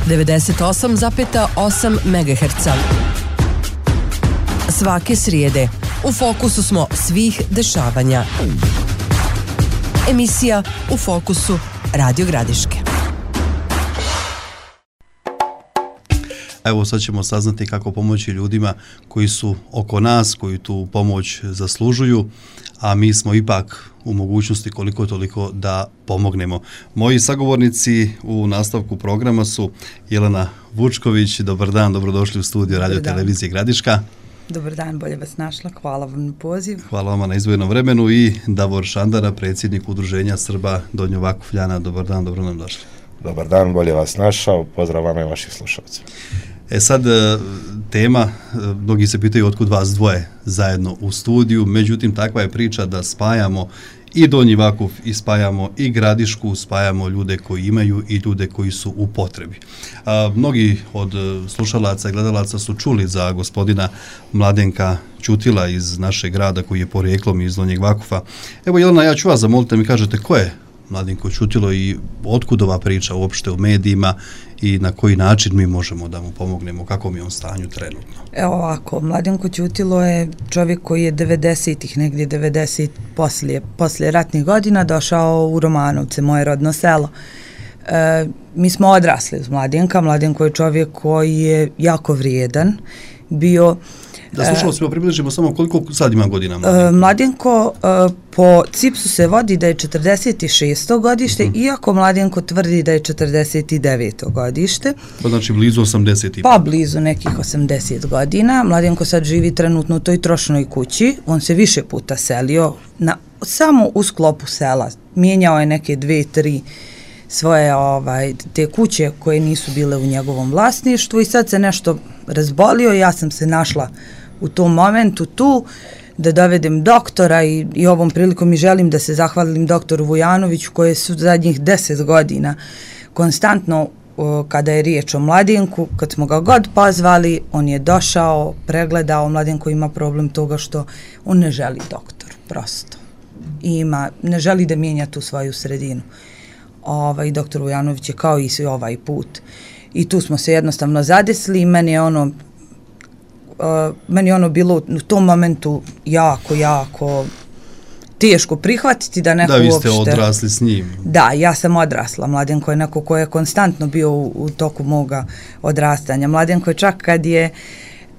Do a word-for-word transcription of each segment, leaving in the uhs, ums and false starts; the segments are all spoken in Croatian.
devedeset osam zarez osam megaherca. Svake srijede u fokusu smo svih dešavanja. Emisija U fokusu Radio Gradiške. Evo sad ćemo saznati kako pomoći ljudima koji su oko nas, koji tu pomoć zaslužuju, a mi smo ipak u mogućnosti koliko toliko da pomognemo. Moji sagovornici u nastavku programa su Jelena Vučković. Dobar dan, dobrodošli u studio Radio Televizije Gradiška. Dobar dan, bolje vas našla. Hvala vam na poziv. Hvala vama na izdvojenom vremenu i Davor Šandara, predsjednik Udruženja Srba Donjo Vakufljana. Dobar dan, dobro nam došli. Dobar dan, bolje vas našao. Pozdrav vama i vaših slušalca. E sad, tema, mnogi se pitaju otkud vas dvoje zajedno u studiju, međutim takva je priča da spajamo i Donji Vakuf i spajamo i Gradišku, spajamo ljude koji imaju i ljude koji su u potrebi. A, mnogi od slušalaca i gledalaca su čuli za gospodina Mladenka Ćutila iz našeg grada koji je porijeklom iz Donjeg Vakufa. Evo Jelena, ja ću vas zamoliti da mi kažete ko je Mladenko Ćutilo i otkud ova priča uopšte u medijima i na koji način mi možemo da mu pomognemo, kako mi je on stanju trenutno. Evo ovako, Mladenko Ćutilo je čovjek koji je devedesetih, negdje devedeset poslije, poslije ratnih godina došao u Romanovce, moje rodno selo. E, mi smo odrasli uz Mladenka. Mladenko je čovjek koji je jako vrijedan, bio... Da slušalo svima približimo samo koliko sad ima godina Mladenko? Mladenko po cipsu se vodi da je četrdeset šesto godište, uh-huh. iako Mladenko tvrdi da je četrdeset deveto godište. Pa znači blizu osamdeset. Pa blizu nekih osamdeset godina. Mladenko sad živi trenutno u toj trošnoj kući. On se više puta selio na, samo u sklopu sela. Mijenjao je neke dve, tri svoje ovaj, te kuće koje nisu bile u njegovom vlasništvu i sad se nešto razbolio. Ja sam se našla u tom momentu tu da dovedem doktora i, i ovom prilikom mi želim da se zahvalim doktoru Vujanoviću koji su zadnjih deset godina konstantno o, kada je riječ o Mladenku, kad smo ga god pozvali, on je došao, pregledao. Mladenko ima problem toga što on ne želi doktor, prosto. I ima, ne želi da mijenja tu svoju sredinu. Ovaj, doktor Vujanović je kao i svi ovaj put. I tu smo se jednostavno zadesli i meni je ono Uh, meni je ono bilo u tom momentu jako, jako teško prihvatiti da neko uopšte... Da, vi ste odrasli s njim. Da, ja sam odrasla. Mladenko je neko ko je konstantno bio u, u toku moga odrastanja. Mladenko je čak kad je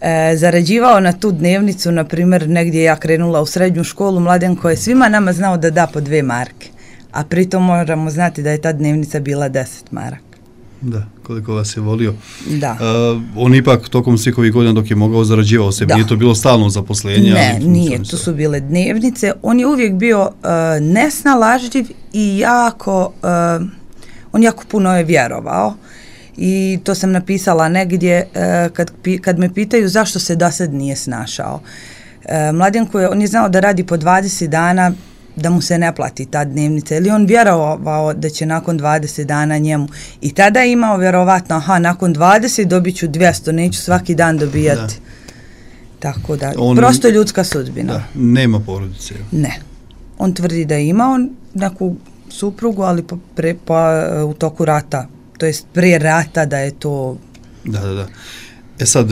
e, zarađivao na tu dnevnicu, na primjer, negdje ja krenula u srednju školu, Mladenko je svima nama znao da da po dve marke. A pritom moramo znati da je ta dnevnica bila deset maraka. Da, koliko vas je volio. Da. Uh, on ipak tokom svih ovih godina dok je mogao zarađivao se, nije to bilo stalno zaposlenje? Ne, nije, to su bile dnevnice. On je uvijek bio uh, nesnalažljiv i jako, uh, on jako puno je vjerovao. I to sam napisala negdje uh, kad, kad me pitaju zašto se do sad nije snašao. Uh, Mladenko je, on je znao da radi po dvadeset dana, da mu se ne plati ta dnevnica, ili on vjerovao da će nakon dvadeset dana njemu i tada je imao vjerovatno, aha, nakon dvadeset dobit ću dvjesto, neću svaki dan dobijati. Da. Tako da, on, prosto ljudska sudbina. Da, nema porodice. Ne. On tvrdi da je imao neku suprugu, ali po, pre, po, u toku rata, to jest prije rata da je to... Da, da, da. E sad,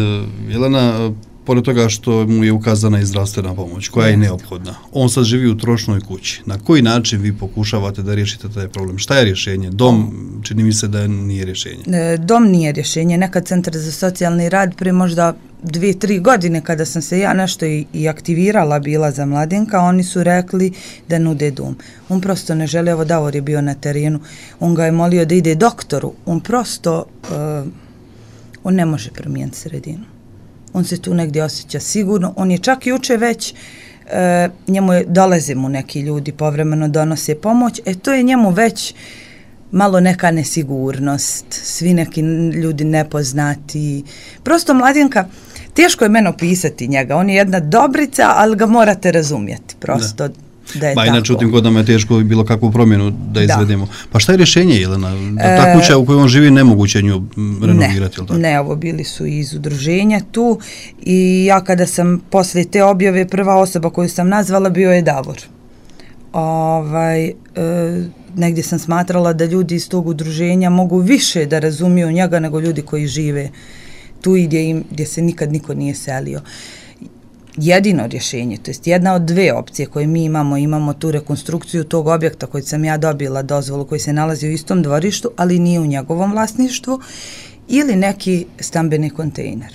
Jelena, pored toga što mu je ukazana i zdravstvena pomoć, koja je neophodna. On sad živi u trošnoj kući. Na koji način vi pokušavate da riješite taj problem? Šta je rješenje? Dom, čini mi se da nije rješenje. Dom nije rješenje. Nekad Centar za socijalni rad prije možda dvije, tri godine kada sam se ja nešto i, i aktivirala bila za Mladenka, oni su rekli da nude dom. On prosto ne želi, evo Davor je bio na terenu, on ga je molio da ide doktoru. On prosto, uh, on ne može promijeniti sredinu. On se tu negdje osjeća sigurno. On je čak juče već, e, njemu je, dolaze mu neki ljudi, povremeno donose pomoć, e to je njemu već malo neka nesigurnost, svi neki ljudi nepoznati. Prosto Mladenka, teško je meni opisati njega, on je jedna dobrica, ali ga morate razumjeti, prosto da, da je ba, tako. Inače u tim godinama je teško bilo kakvu promjenu da izvedemo. Da. Pa šta je rješenje, Jelena? Da ta kuća u kojoj on živi nemoguće nju renovirati, ne, tako? Ne, ovo bili su iz udruženja tu i ja kada sam poslije te objave, prva osoba koju sam nazvala bio je Davor. Ovaj, e, negdje sam smatrala da ljudi iz tog udruženja mogu više da razumiju njega nego ljudi koji žive tu i gdje, im, gdje se nikad niko nije selio. Jedino rješenje, to jest jedna od dve opcije koje mi imamo, imamo tu rekonstrukciju tog objekta koji sam ja dobila dozvolu, koji se nalazi u istom dvorištu, ali nije u njegovom vlasništvu, ili neki stambeni kontejner,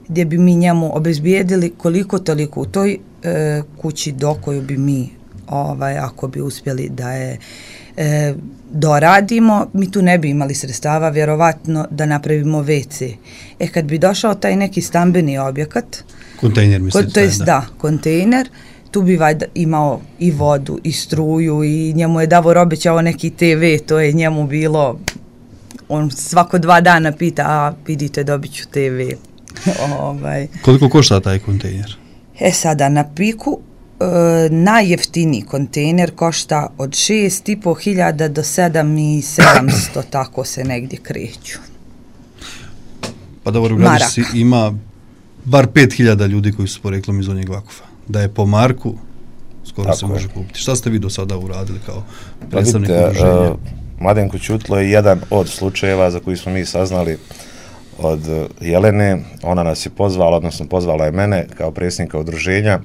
gdje bi mi njemu obezbijedili koliko toliko u toj e, kući do koju bi mi, ovaj, ako bi uspjeli da je e, doradimo, mi tu ne bi imali sredstava, vjerovatno, da napravimo ve ce. E, kad bi došao taj neki stambeni objekat, kontejner, mislite, to jest, da. da, kontejner, tu bi vajda imao i vodu, i struju, i njemu je Davor obećao neki te ve, to je njemu bilo, on svako dva dana pita, a vidite, dobit ću te ve. ovaj. Koliko košta taj kontejner? E sada, na Piku, e, najjeftiniji kontejner košta od šest i po hiljada do sedam i sedamsto, tako se negdje kreću. Pa dobro, u Gradišci ima bar pet hiljada ljudi koji su poreklom iz Donjeg Vakufa. Da je po marku, skoro tako se može kupiti. Šta ste vi do sada uradili kao predstavnik udruženja? Uh, Mladenko Ćutlo je jedan od slučajeva za koji smo mi saznali od Jelene. Ona nas je pozvala, odnosno pozvala je mene kao predsjednika udruženja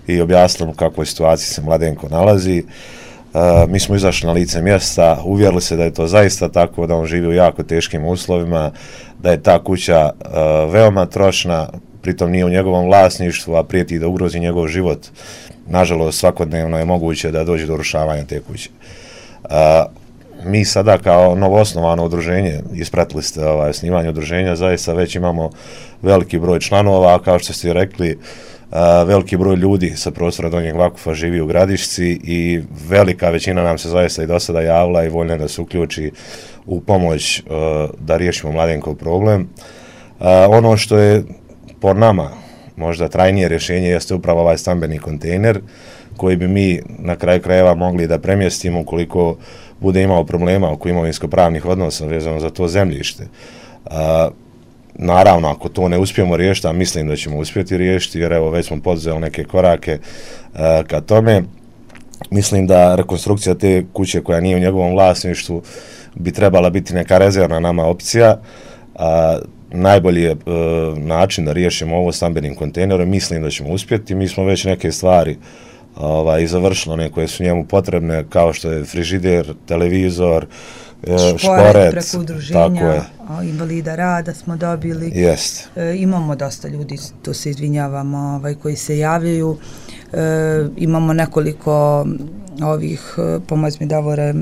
i objasnila u kakvoj situaciji se Mladenko nalazi. Uh, mi smo izašli na lice mjesta, uvjerili se da je to zaista tako, da on živi u jako teškim uslovima, da je ta kuća uh, veoma trošna, pritom nije u njegovom vlasništvu, a prijeti da ugrozi njegov život. Nažalost, svakodnevno je moguće da dođe do urušavanja te kuće. Uh, mi sada kao novoosnovano udruženje, ispratili ste ovaj, osnivanje udruženja, zaista već imamo veliki broj članova, a kao što ste rekli, uh, veliki broj ljudi sa prostora Donjeg Vakufa živi u Gradišci i velika većina nam se zaista i do sada javila i voljna da se uključi u pomoć uh, da riješimo Mladenkov problem. Uh, ono što je po nama možda trajnije rješenje jeste upravo ovaj stambeni kontejner koji bi mi na kraju krajeva mogli da premjestimo ukoliko bude imao problema oko imovinsko-pravnih odnosa vezano za to zemljište. Uh, naravno, ako to ne uspijemo riješiti, a mislim da ćemo uspjeti riješiti, jer evo već smo poduzeli neke korake uh, ka tome, mislim da rekonstrukcija te kuće koja nije u njegovom vlasništvu bi trebala biti neka rezervna nama opcija. Uh, najbolji je uh, način da riješimo ovo stambenim kontejnerom, mislim da ćemo uspjeti. Mi smo već neke stvari ovaj, završili, one koje su njemu potrebne, kao što je frižider, televizor, šporet, šporet preko udruženja invalida rada smo dobili. Jest. E, imamo dosta ljudi, to se izvinjavamo, ovaj, koji se javljaju. E, imamo nekoliko ovih, pomoć mi Davore,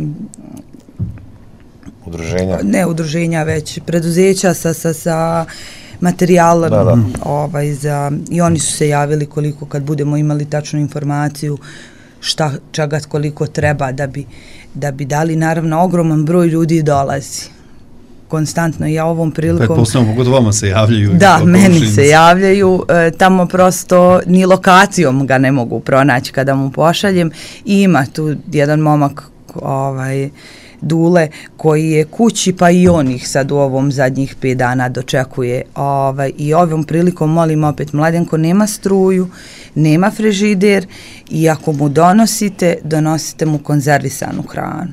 udruženja? Ne udruženja, već preduzeća sa, sa, sa materijalom, da, da. Ovaj, za, i oni su se javili koliko kad budemo imali tačnu informaciju šta, čega koliko treba da bi, da bi dali. Naravno, ogroman broj ljudi dolazi konstantno. Ja ovom prilikom... Pretpostavljamo, pogotovo vama se javljaju. Da, meni se javljaju. E, tamo prosto ni lokacijom ga ne mogu pronaći kada mu pošaljem. I ima tu jedan momak, ovaj, Dule, koji je kući, pa i on ih sad u ovom zadnjih pet dana dočekuje. Ovaj, I ovom prilikom molim opet, Mladenko nema struju, nema frižider i ako mu donosite, donosite mu konzervisanu hranu.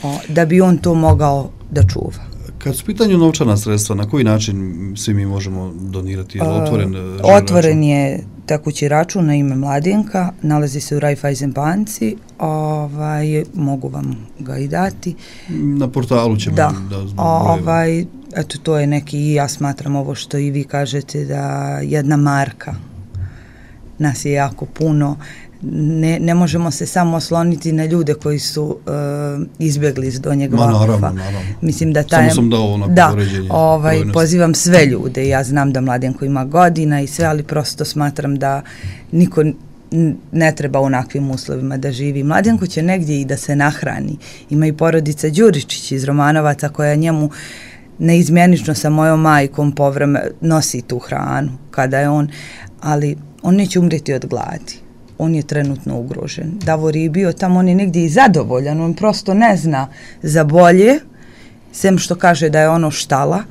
O, da bi on to mogao da čuva. Kad su pitanju novčana sredstva, na koji način svi mi možemo donirati? Je otvoren, uh, otvoren račun? Je tekući račun na ime Mladenka, nalazi se u Raiffeisen banci, ovaj, mogu vam ga i dati. Na portalu ćemo da, da zbog ovaj, eto, to je neki, i ja smatram ovo što i vi kažete, da jedna marka, nas je jako puno, ne, ne možemo se samo osloniti na ljude koji su uh, izbjegli iz Donjeg Vakufa. Mislim da taj, samo sam dao ono da, ovaj, pozivam sve ljude, ja znam da Mladenko ima godina i sve, ali prosto smatram da niko ne treba u onakvim uslovima da živi. Mladenko će negdje i da se nahrani. Ima i porodica Đuričić iz Romanovaca koja njemu neizmjenično sa mojom majkom povreme nosi tu hranu kada je on, ali on neće umreti od gladi. On je trenutno ugrožen. Davor je bio tamo, on je negdje i zadovoljan, on prosto ne zna za bolje, sem što kaže da je ono štala.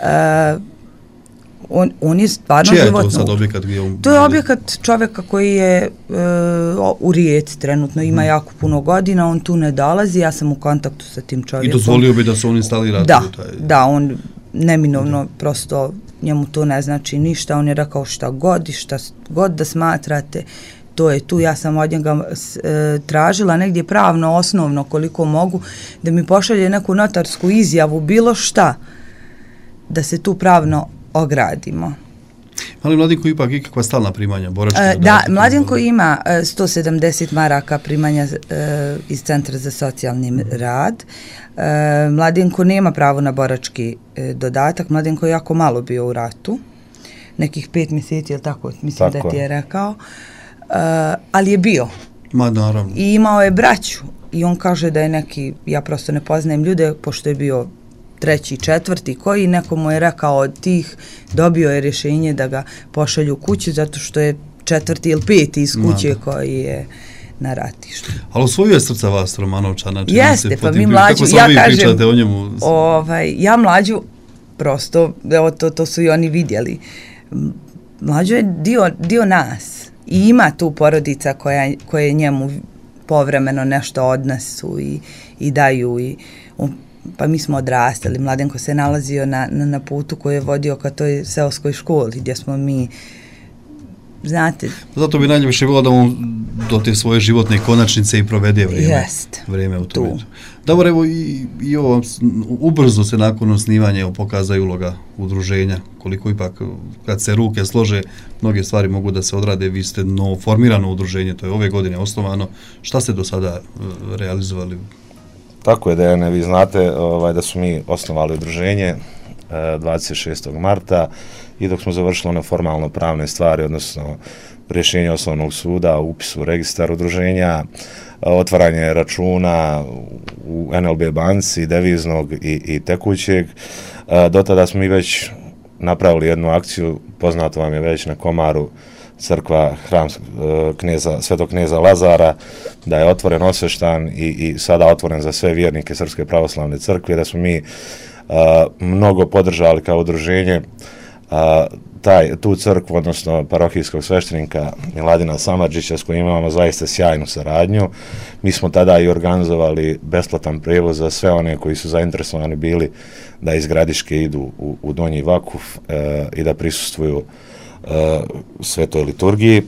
E, On, on je stvarno Čija je životno. to sad objekat gdje on... To je objekat čovjeka koji je e, u Rijeci trenutno, ima hmm. jako puno godina, on tu ne dolazi, ja sam u kontaktu sa tim čovjekom. I dozvolio bi da se on instalira? Da, taj... da, on neminovno, da. Prosto njemu to ne znači ništa, on je rekao šta god i šta god da smatrate, to je tu. Ja sam od njega e, tražila negdje pravno, osnovno, koliko mogu, da mi pošalje neku notarsku izjavu, bilo šta, da se tu pravno ogradimo. Ali Mladenko ipak ikakva stalna primanja, borački e, Da, Mladenko ima e, sto sedamdeset maraka primanja e, iz Centra za socijalni mm. rad. E, Mladenko nema pravo na borački e, dodatak, Mladenko je jako malo bio u ratu, nekih pet mjeseci, ili tako, mislim tako. Da ti je rekao. Uh, ali je bio. Ma, naravno. I imao je braću. I on kaže da je neki, ja prosto ne poznajem ljude, pošto je bio treći, četvrti, koji nekomu je rekao od tih, dobio je rješenje da ga pošalju kući, zato što je četvrti ili peti iz kuće Ma, koji je na ratištu. Ali osvojio je srca vas, Romanovčana. Jeste, pa mi Mlađu, ja kažem, o njemu? Ovaj, ja Mlađu, prosto, evo, to, to su i oni vidjeli. Mlađu je dio, dio nas. I ima tu porodica koja, koje njemu povremeno nešto odnesu i, i daju. I, um, pa mi smo odrastali. Mladenko se nalazio na, na, na putu koji je vodio ka toj seoskoj školi gdje smo mi, znate... Zato bi najljepše bilo da on do te svoje životne konačnice i provede vrijeme, Jest, vrijeme u tom. Dobro, evo i, i ovo, ubrzo se nakon osnivanja pokazuje uloga udruženja, koliko ipak kad se ruke slože, mnoge stvari mogu da se odrade. Vi ste novo formirano udruženje, to je ove godine osnovano. Šta ste do sada uh, realizovali? Tako je, Dejane, vi znate ovaj, da su mi osnovali udruženje uh, dvadeset šestog marta i dok smo završili one formalno pravne stvari, odnosno rješenje osnovnog suda, upis u registar udruženja, otvaranje računa u en el be banci, deviznog i, i tekućeg. Do tada smo mi već napravili jednu akciju, poznato vam je već na Komaru, crkva, hram kneza, svetog kneza Lazara, da je otvoren, osveštan i, i sada otvoren za sve vjernike Srpske pravoslavne crkve, da smo mi a, mnogo podržali kao udruženje a, taj, tu crkvu, odnosno parohijskog sveštenika Miladina Samardžića, s kojim imamo zaista sjajnu saradnju. Mi smo tada i organizovali besplatan prijevoz za sve one koji su zainteresovani bili da iz Gradiške idu u, u Donji Vakuf e, i da prisustvuju e, svetoj liturgiji.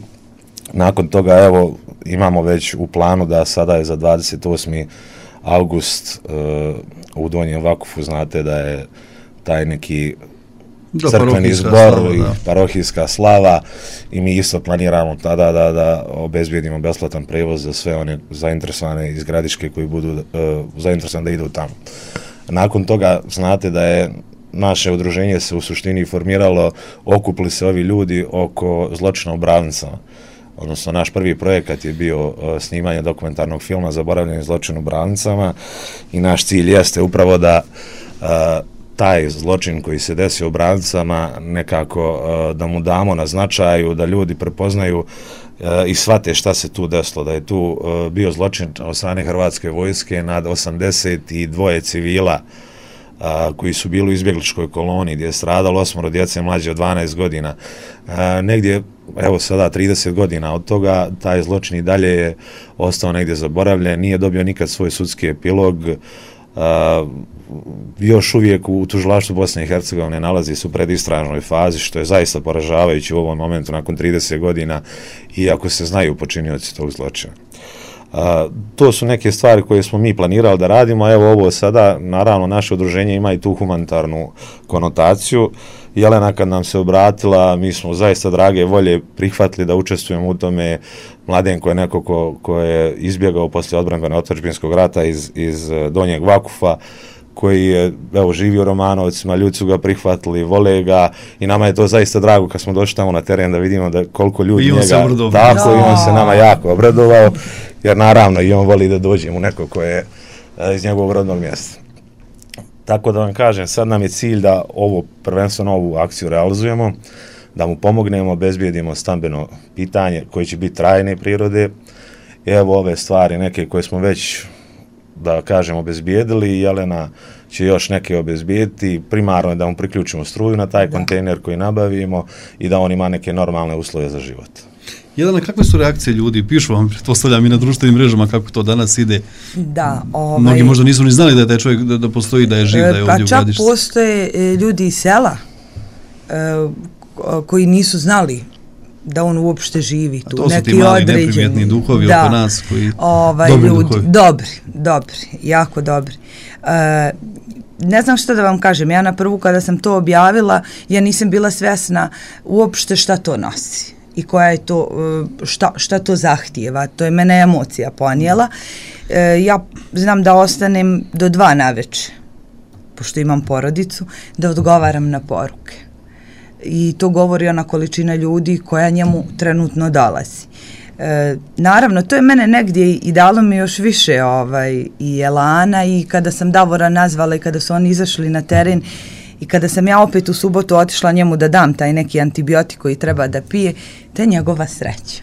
Nakon toga, evo, imamo već u planu da sada je za dvadeset osmi august e, u Donjem Vakufu, znate da je taj neki Da, crkveni zbor slava, i parohijska slava i mi isto planiramo tada da, da obezbijedimo besplatan prevoz za sve one zainteresovane iz Gradiške koji budu uh, zainteresovani da idu tamo. Nakon toga znate da je naše udruženje se u suštini formiralo, okupili se ovi ljudi oko zločina u Bravnicama. Odnosno, naš prvi projekat je bio uh, snimanje dokumentarnog filma Zaboravljeni zločin u Bravnicama i naš cilj jeste upravo da uh, taj zločin koji se desio u Bravnicama nekako uh, da mu damo na značaju, da ljudi prepoznaju uh, i shvate šta se tu desilo, da je tu uh, bio zločin od strane Hrvatske vojske nad osamdeset dva civila uh, koji su bili u izbjegličkoj koloniji gdje je stradalo osmoro djece mlađe od dvanaest godina. Uh, negdje, evo sada trideset godina od toga, taj zločin i dalje je ostao negdje zaboravljen, nije dobio nikad svoj sudski epilog. Uh, još uvijek u tužilaštvu Bosne i Hercegovine nalazi se u predistražnoj fazi, što je zaista poražavajuće u ovom momentu nakon trideset godina, iako se znaju počinioci tog zločina. Uh, to su neke stvari koje smo mi planirali da radimo, a evo ovo sada, naravno, naše udruženje ima i tu humanitarnu konotaciju. Jelena kad nam se obratila, mi smo zaista drage volje prihvatili da učestvujemo u tome. Mladenko je neko ko, ko je izbjegao poslije odbrambene otadžbinskog rata iz, iz Donjeg Vakufa, koji je, evo, živi u Romanovcima, ljudi su ga prihvatili, vole ga i nama je to zaista drago kad smo došli tamo na teren da vidimo da koliko ljudi I on njega... se obradovao. Tako, i on se nama jako obradovao, jer naravno i on voli da dođemo neko ko je iz njegovog rodnog mjesta. Tako da vam kažem, sad nam je cilj da ovo, prvenstveno ovu akciju realizujemo, da mu pomognemo, obezbijedimo stambeno pitanje koje će biti trajne prirode. Evo ove stvari, neke koje smo već da kažem, obezbijedili, Jelena će još neke obezbijediti, primarno je da mu priključimo struju na taj da. kontejner koji nabavimo i da on ima neke normalne uslove za život. Jelena, kakve su reakcije ljudi? Pišu vam, pretpostavljam i na društvenim mrežama kako to danas ide. Da, ovaj... Mnogi možda nisu ni znali da je taj čovjek, da, da postoji, da je živ, da je ovdje u Gradišci. Pa čak postoje ljudi iz sela koji nisu znali da on uopšte živi tu. A to su neki ti mali određeni, neprimjetni duhovi da, oko nas koji ovaj, dobri ljudi, duhovi. Dobri, dobri, jako dobri. Uh, ne znam što da vam kažem, ja na prvu kada sam to objavila, ja nisam bila svjesna uopšte šta to nosi i koja je to, šta, šta to zahtijeva. To je mene emocija ponijela. Uh, ja znam da ostanem do dva naveče, pošto imam porodicu, da odgovaram na poruke. I to govori ona količina ljudi koja njemu trenutno dolazi. E, naravno, to je mene negdje i dalo mi još više ovaj, i elana i kada sam Davora nazvala i kada su oni izašli na teren i kada sam ja opet u subotu otišla njemu da dam taj neki antibiotik koji treba da pije, to je njegova sreća.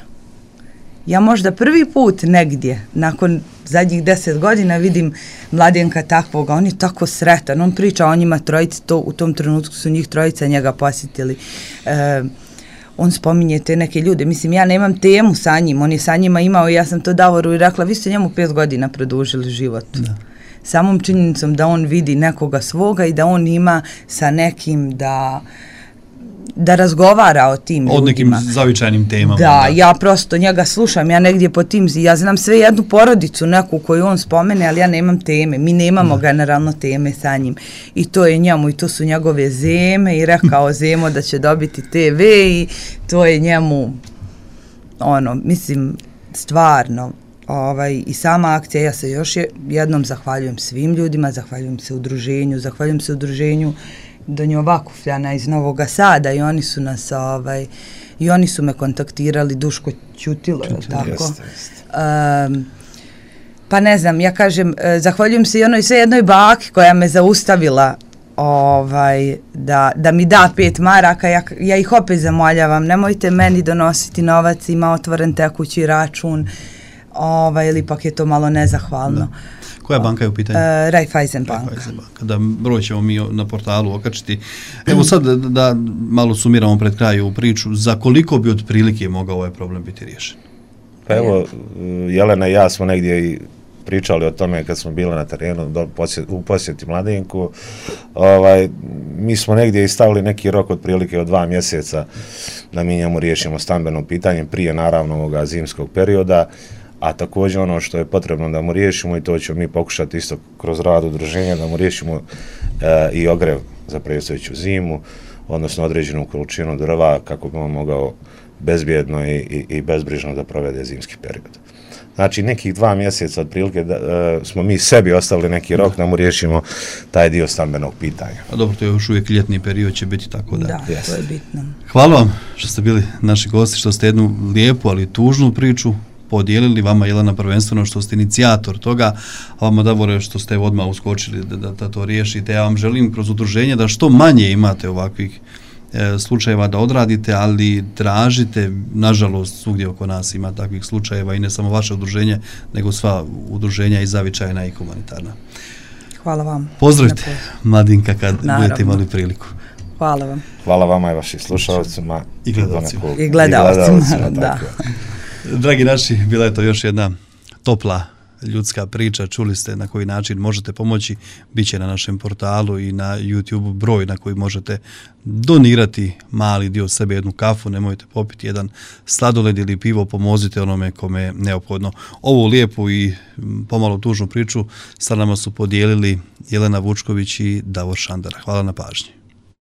Ja možda prvi put negdje, nakon zadnjih deset godina, vidim Mladenka takvoga, on je tako sretan, on priča o njima trojici, to, u tom trenutku su njih trojica njega posjetili. E, on spominje te neke ljude, mislim, ja nemam temu sa njim, on je sa njima imao i ja sam to Davoru i rekla, vi ste njemu pet godina produžili život. Da. Samom činjenicom da on vidi nekoga svoga i da on ima sa nekim da... da razgovara o tim od ljudima. Od nekim zavičajnim temama. Da, da, ja prosto njega slušam, ja negdje po tim, ja znam sve jednu porodicu neku koju on spomene, ali ja nemam teme, mi nemamo da. generalno teme sa njim i to je njemu i to su njegove zeme i rekao Zemo da će dobiti te ve i to je njemu ono, mislim, stvarno ovaj, i sama akcija, ja se još jednom zahvaljujem svim ljudima, zahvaljujem se udruženju, zahvaljujem se udruženju Donjo Vakufljana iz Novog Sada i oni su nas ovaj, i oni su me kontaktirali, Duško Ćutilo, je tako? Jeste, jeste. Um, pa ne znam, ja kažem, zahvaljujem se i onoj sve jednoj baki koja me zaustavila ovaj, da, da mi da pet maraka, ja, ja ih opet zamoljavam, nemojte meni donositi novac, ima otvoren tekući račun, ovaj, ili ipak je to malo nezahvalno. Da. Koja banka je u pitanju? Uh, Raiffeisen banka. Raiffeisen banka. Da, broj ćemo mi na portalu okačiti. Evo sad da, da malo sumiramo pred kraju u priču, za koliko bi otprilike mogao ovaj problem biti riješen? Pa evo, Jelena i ja smo negdje i pričali o tome kad smo bili na terenu do posjet, u posjeti Mladenku. Ovaj, mi smo negdje i stavili neki rok otprilike od dva mjeseca da mi njemu riješimo stambeno pitanje prije naravno ovoga zimskog perioda. A također ono što je potrebno da mu riješimo, i to ćemo mi pokušati isto kroz rad udruženja, da mu riješimo e, i ogrev za predstojeću zimu, odnosno određenu količinu drva kako bi on mogao bezbjedno i, i, i bezbrižno da provede zimski period. Znači nekih dva mjeseca otprilike da, e, smo mi sebi ostavili neki rok da mu riješimo taj dio stambenog pitanja. A dobro, to je još uvijek ljetni period, će biti tako da. Da, yes. To je bitno. Hvala vam što ste bili naši gosti, što ste jednu lijepu, ali tužnu priču podijelili, vama Jelena prvenstveno što ste inicijator toga, a vama Davore što ste odmah uskočili da, da, da to riješite. Ja vam želim kroz udruženje da što manje imate ovakvih e, slučajeva da odradite, ali tražite, nažalost svugdje oko nas ima takvih slučajeva i ne samo vaše udruženje, nego sva udruženja i zavičajna i humanitarna. Hvala vam. Pozdravite Mladinka kad Naravno. budete imali priliku. Hvala vam. Hvala vama i vašim slušalcima. I gledalcima. I gledalcima, da. Dragi naši, bila je to još jedna topla ljudska priča, čuli ste na koji način možete pomoći, bit će na našem portalu i na YouTube broj na koji možete donirati mali dio sebe, jednu kafu, nemojte popiti jedan sladoled ili pivo, pomozite onome kome je neophodno. Ovu lijepu i pomalo tužnu priču sa nama su podijelili Jelena Vučković i Davor Šandara. Hvala na pažnji.